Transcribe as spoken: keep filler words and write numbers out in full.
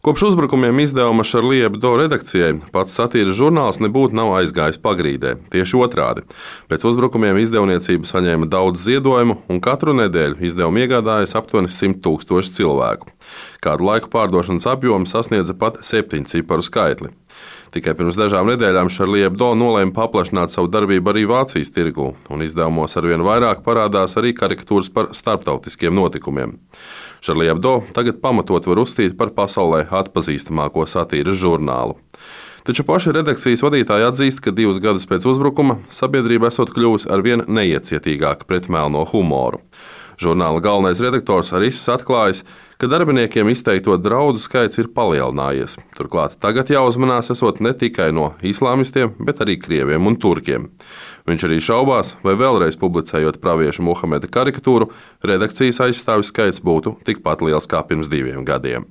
Kopš uzbrukumiem izdevuma Charlie Hebdo redakcijai pats satīras žurnāls nebūtu nav aizgājis pagrīdē. Tieši otrādi. Pēc uzbrukumiem izdevniecība saņēma daudz ziedojumu, un katru nedēļu izdevumu iegādājas aptuveni simt tūkstoši cilvēku. Kādu laiku pārdošanas apjoms sasniedza pat septiņu ciparu skaitli. Tikai pirms dažām nedēļām Charlie Hebdo nolēma paplašināt savu darbību arī Vācijas tirgū, un izdevumos arvien vairāk parādās arī karikatūras par starptautiskiem notikumiem. Charlie Hebdo tagad pamatot var uzskatīt par pasaulē atpazīstamāko satīras žurnālu. Taču paši redakcijas vadītāji atzīst, ka divus gadus pēc uzbrukuma sabiedrība esot kļuvusi arvien neiecietīgāka pret melno humoru. Žurnāla galvenais redaktors Riss atklājis, ka darbiniekiem izteikto draudu skaits ir palielinājies. Turklāt tagad jāuzmanās esot ne tikai no islāmistiem, bet arī krieviem un turkiem. Viņš arī šaubās, vai vēlreiz publicējot pravieša Muhameda karikatūru, redakcijas aizstāvju skaits būtu tikpat liels kā pirms diviem gadiem.